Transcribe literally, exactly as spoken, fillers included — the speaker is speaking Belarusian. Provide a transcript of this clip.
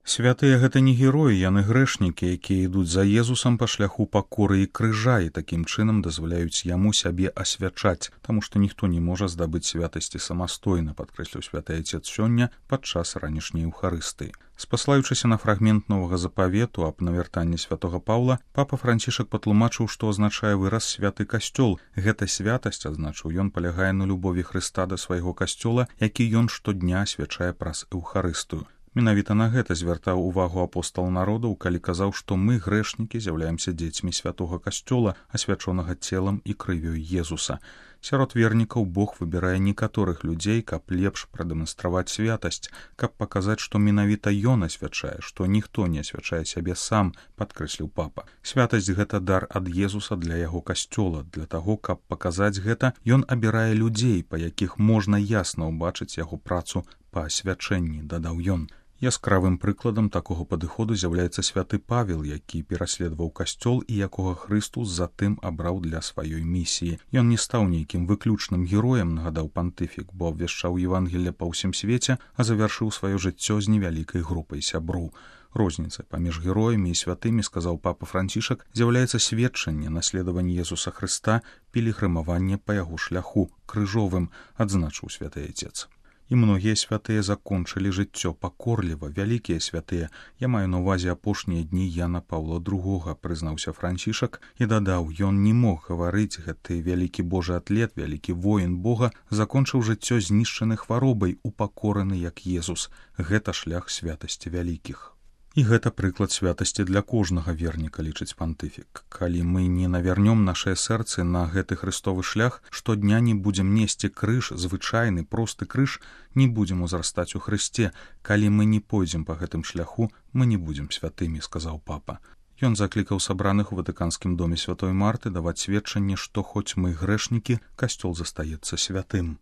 Святыя гэта не героі, яны грэшнікі, якія ідуць за Езусам па шляху пакоры і крыжа і такім чынам дазваляюць яму сябе асвячаць, таму што ніхто не можа здабыць святасці самастойна, падкрэсліў святы Айцец сёння падчас ранішняй Еўхарыстыі. Спаслаючыся на фрагмент новага запавету аб навяртанні святога Паўла, папа Францішак патлумачыў, што азначае выраз святы касцёл. Гэта святасць, адзначыў ён, палягае на любові Хрыста да свайго касцёла, які ён штодня асвячае праз Еўхарыстыю. Менавіта на гэта звяртаў увагу апостал народаў, калі казаў, што мы, грэшнікі, з'яўляемся дзецьмі святога касцёла, асвячонага целам і крывёй Езуса. Сярод вернікаў Бог выбірае некаторых людзей, каб лепш прадэманстраваць святасць, каб паказаць, што менавіта ён асвячае, што ніхто не асвячае сябе сам, падкрэсліў папа. Святасць гэта дар ад Езуса для яго касцёла. Для таго, каб паказаць гэта, ён абірае людзей, па якіх можна ясна ўбачыць яго працу па асвячэнні, дадаў ён. Яскравым прыкладам такога падыходу з'яўляецца святы Павел, які пераследаваў касцёл і якога Хрыстус затым абраў для сваёй місіі. Ён не стаў нейкім выключным героем, нагадаў пантыфік, бо абвяшчаў Евангелле па ўсім свеце, а завяршыў сваё жыццё з невялікай групай сяброў. Розніца паміж героямі і святымі, сказаў папа Францішак, з'яўляецца сведчанне наследавання Езуса Хрыста, пілігрымаванне па яго шляху крыжовым, адзначыў святы Айцец. І многія святыя закончылі жыццё пакорліва, вялікія святыя. Я маю на ўвазе апошнія дні Яна Паўла другога, прызнаўся Францішак і дадаў, ён не мог гаварыць, гэты вялікі божы атлет, вялікі воін Бога, закончыў жыццё знішчаны хваробай, упакораны як Езус. Гэта шлях святасці вялікіх. І гэта прыклад святасці для кожнага верніка, лічыць пантыфік. Калі мы не навярнём нашыя сэрцы на гэты хрыстовы шлях, штодня не будзем несці крыж, звычайны, просты крыж, не будзем узрастаць у Хрысце. Калі мы не пойдзем па гэтым шляху, мы не будзем святымі, сказаў папа. Ён заклікаў сабраных у Ватыканскім доме святой Марты даваць сведчанне, што хоць мы грэшнікі, касцёл застаецца святым.